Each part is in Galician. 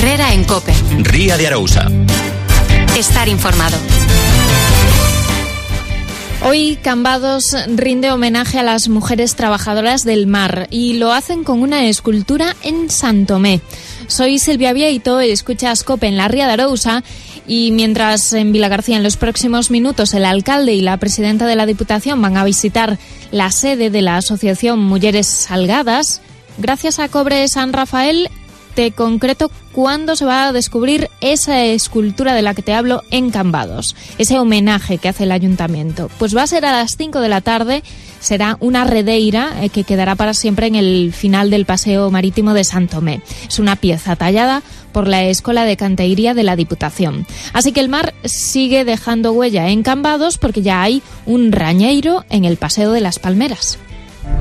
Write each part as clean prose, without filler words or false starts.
Herrera en COPE. Ría de Arousa. Estar informado. Hoy Cambados rinde homenaje a las mujeres trabajadoras del mar y lo hacen con una escultura en San Tomé. Soy Silvia Vieito, escuchas COPE en la Ría de Arousa y mientras en Vilagarcía en los próximos minutos el alcalde y la presidenta de la Diputación van a visitar la sede de la Asociación Mujeres Salgadas, gracias a Cobre San Rafael te concreto cuándo se va a descubrir esa escultura de la que te hablo en Cambados, ese homenaje que hace el ayuntamiento. Pues va a ser a las 5 de la tarde, será una redeira que quedará para siempre en el final del paseo marítimo de Sant Tomé. Es una pieza tallada por la Escola de Canteiría de la Diputación. Así que el mar sigue dejando huella en Cambados porque ya hay un rañeiro en el Paseo de las Palmeras.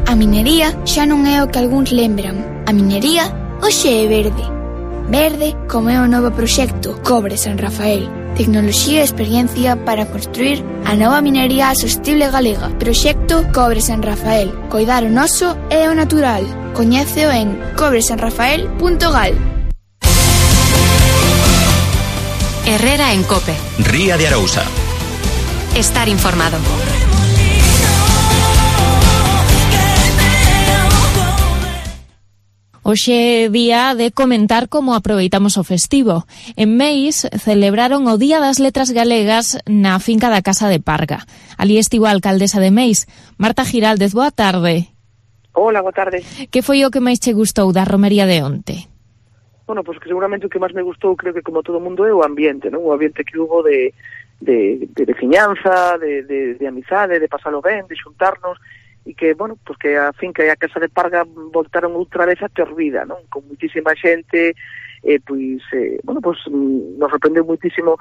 A minería xa non é o que algúns lembran. A minería hoxe é verde. Verde como é o novo proxecto Cobre San Rafael. Tecnoloxía e experiencia para construir a nova minería sostible galega. Proxecto Cobre San Rafael. Coidar o noso e o natural. Coñéceo en cobresanrafael.gal. Herrera en COPE. Ría de Arousa. Estar informado. Hoxe é día de comentar como aproveitamos o festivo. En Meis celebraron o Día das Letras Galegas na finca da Casa de Parga. Ali estivo a alcaldesa de Meis, Marta Giraldez. Boa tarde. Hola, boa tarde. Que foi o que máis che gustou da romería de onte? Bueno, pues que seguramente o que máis me gustou, creo que como todo o mundo, é o ambiente, non? O ambiente que hubo de veciñanza, de amizade, de pasalo ben, de xuntarnos, e que, bueno, pues que a finca e a Casa de Parga voltaron outra vez a ter vida, non? Con muitísima xente, bueno, pues nos sorprendeu muitísimo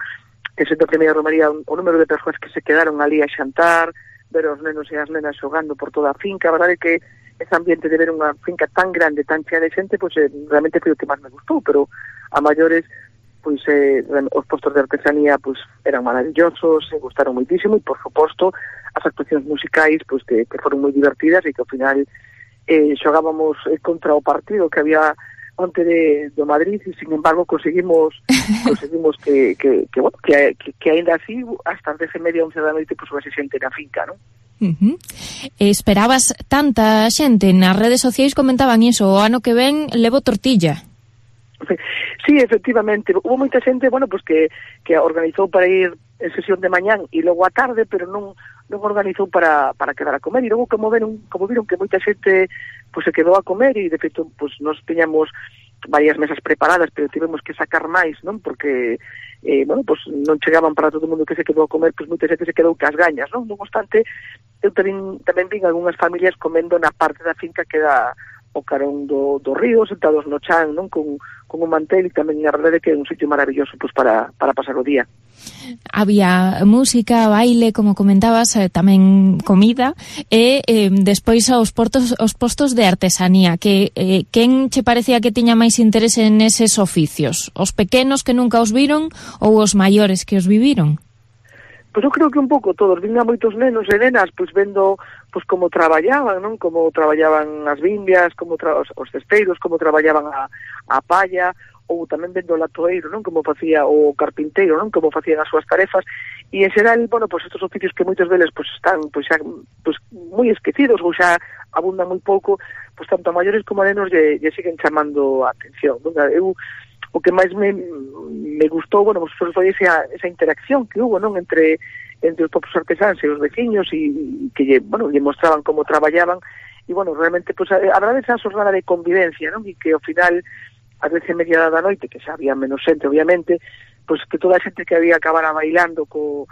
que sendo a primeira romería o número de persoas que se quedaron ali a xantar, ver os nenos e as nenas xogando por toda a finca. A verdade é que ese ambiente de ver unha finca tan grande, tan chea de xente, pues realmente foi o que máis me gustou, pero a maiores pois os postos de artesanía pois eran maravillosos, se gustaron moitísimo e, por suposto, as actuacións musicais pois que foron moi divertidas e que ao final xogábamos contra o partido que había onte do Madrid e, sin embargo, conseguimos que ainda así hasta as 10:30, 11 da noite pois houvese xente na finca, non? Esperabas tanta xente? Nas redes sociais comentaban iso, o ano que ven levo tortilla. Sí, efectivamente, hubo moita xente, bueno, pues que organizou para ir en sesión de mañán e logo a tarde, pero non organizou para quedar a comer, e logo como viron que moita xente pues se quedou a comer, e de feito pues nos teñamos varias mesas preparadas, pero tivemos que sacar máis, non? Porque bueno, pues non chegaban para todo o mundo que se quedou a comer, pues moita xente se quedou cas gañas, non? Non obstante, eu tamén vin algunhas familias comendo na parte da finca que dá o carón do río, sentados no chan, non? Con un mantel, e tamén a verdade que é un sitio maravilloso pues para pasar o día. Había música, baile, como comentabas, tamén comida, e despois os postos de artesanía, que quen che parecía que tiña máis interese neses oficios? Os pequenos que nunca os viron ou os maiores que os viviron? Pois eu creo que un pouco todos, vin a moitos nenos e nenas pois vendo pois como traballaban, non? Como traballaban as bimbias, como os cesteiros, como traballaban a palla, ou tamén vendo o latoeiro, non? Como facía o carpinteiro, non? Como facían as súas tarefas, e en xeral, bueno, pois estos oficios que moitos deles pois están pois xa pois moi esquecidos ou xa abundan moi pouco, pois tanto a maiores como a nenos lle siguen chamando a atención, non? Eu o que máis me gustou, bueno, pues foi esa interacción que hubo, non? Entre os propios artesáns e os veciños, e que lle mostraban como traballaban, e, bueno, realmente, pues, a verdade esa xornada de convivencia, non? E que, ao final, ás 10:30 da noite, que xa había menos xente, obviamente, pues que toda a xente que había acabara bailando co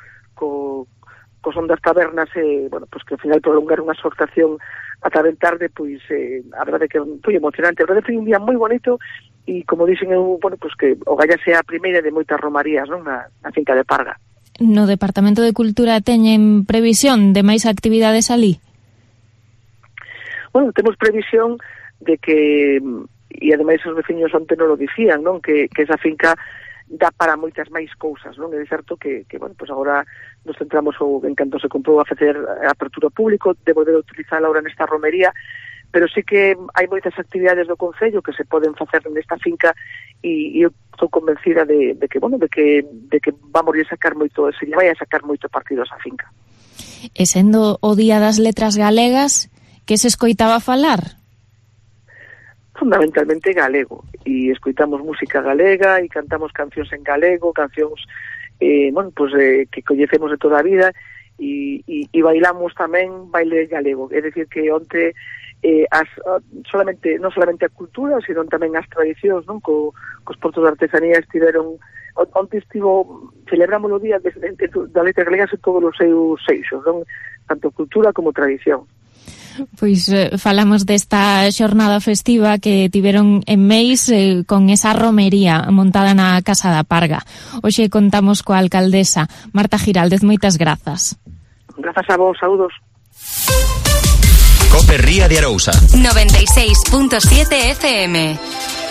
son das tabernas, bueno, pues que ao final prolongar unha exhortación ata ben tarde, pois a verdade que foi emocionante. A verdade foi un día moi bonito, e como dixen eu, bueno, pues que o Galla sea a primeira de moitas romarías, non? Na finca de Parga. No Departamento de Cultura teñen previsión de máis actividades ali? Bueno, temos previsión de que, e ademais os veciños onte non lo dicían, non? Que esa finca dá para moitas máis cousas, non? É certo que bueno, pues agora nos centramos en canto se comprou a facer a apertura ao público, de poder utilizar ahora nesta romería, pero sí que hai moitas actividades do Concello que se poden facer nesta finca e eu estou convencida de que vamos a sacar moito, se lle vai a sacar moito partido a esa finca. E sendo o Día das Letras Galegas, que se escoitaba falar? Fundamentalmente galego, e escoitamos música galega e cantamos cancións en galego, cancións que coñecemos de toda a vida, e bailamos tamén baile galego, é dicir que onte non solamente a cultura, sino tamén as tradicións, non? Cos portos de artesanía estiveron, onte celebramos o día da letra galega en todos os seus eixos, non? Tanto cultura como tradición. Pois falamos desta xornada festiva que tiveron en Meis con esa romería montada na Casa da Parga. Hoxe contamos coa alcaldesa Marta Giraldez. Moitas grazas. Grazas a vos, saúdos. COPE Ría de Arousa 96.7 FM.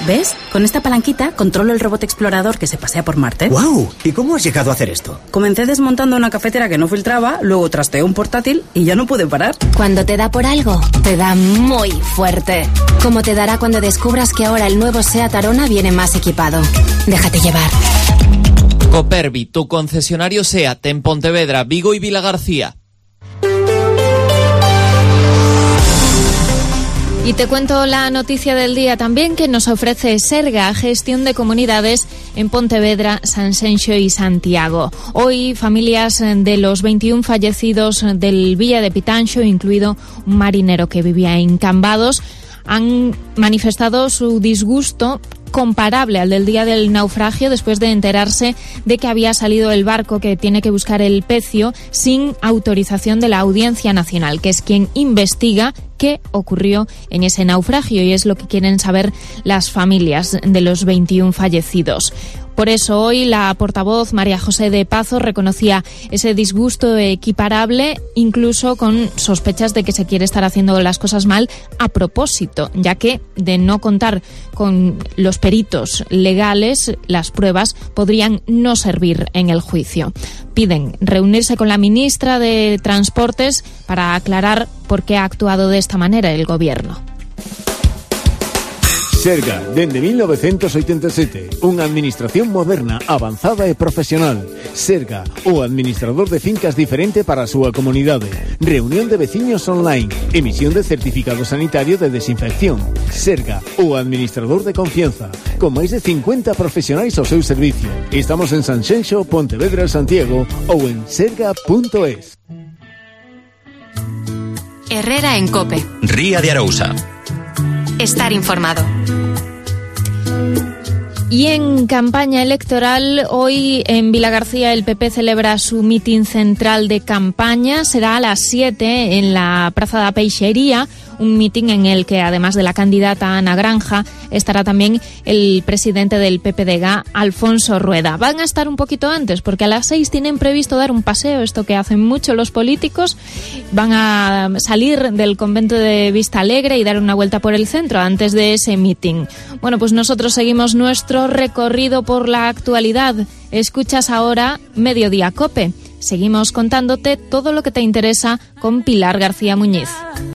¿Ves? Con esta palanquita controlo el robot explorador que se pasea por Marte. ¡Wow! ¿Y cómo has llegado a hacer esto? Comencé desmontando una cafetera que no filtraba, luego trasteé un portátil y ya no pude parar. Cuando te da por algo, te da muy fuerte. Como te dará cuando descubras que ahora el nuevo SEAT Arona viene más equipado. Déjate llevar. Copervi, tu concesionario SEAT en Pontevedra, Vigo y Vilagarcía. Y te cuento la noticia del día también que nos ofrece Serga, gestión de comunidades en Pontevedra, Sanxenxo y Santiago. Hoy familias de los 21 fallecidos del Villa de Pitanxo, incluido un marinero que vivía en Cambados, han manifestado su disgusto comparable al del día del naufragio después de enterarse de que había salido el barco que tiene que buscar el pecio sin autorización de la Audiencia Nacional, que es quien investiga qué ocurrió en ese naufragio, y es lo que quieren saber las familias de los 21 fallecidos. Por eso hoy la portavoz María José de Pazo reconocía ese disgusto equiparable, incluso con sospechas de que se quiere estar haciendo las cosas mal a propósito, ya que de no contar con los peritos legales, las pruebas podrían no servir en el juicio. Piden reunirse con la ministra de Transportes para aclarar por qué ha actuado de esta manera el Gobierno. Serga, dende 1987, unha administración moderna, avanzada e profesional. Serga, o administrador de fincas diferente para a súa comunidade. Reunión de veciños online, emisión de certificado sanitario de desinfección. Serga, o administrador de confianza, con máis de 50 profesionais ao seu servicio. Estamos en Sanxenxo, Pontevedra, Santiago ou en serga.es. Herrera en COPE. Ría de Arousa. Estar informado. Y en campaña electoral, hoy en Vilagarcía el PP celebra su mitin central de campaña. Será a las 7 en la Praza da Peixería, un mitin en el que, además de la candidata Ana Granja, estará también el presidente del PPDG, Alfonso Rueda. Van a estar un poquito antes, porque a las 6 tienen previsto dar un paseo, esto que hacen mucho los políticos. Van a salir del convento de Vista Alegre y dar una vuelta por el centro antes de ese mitin. Bueno, pues nosotros seguimos nuestro recorrido por la actualidad. Escuchas ahora Mediodía COPE. Seguimos contándote todo lo que te interesa con Pilar García Muñiz.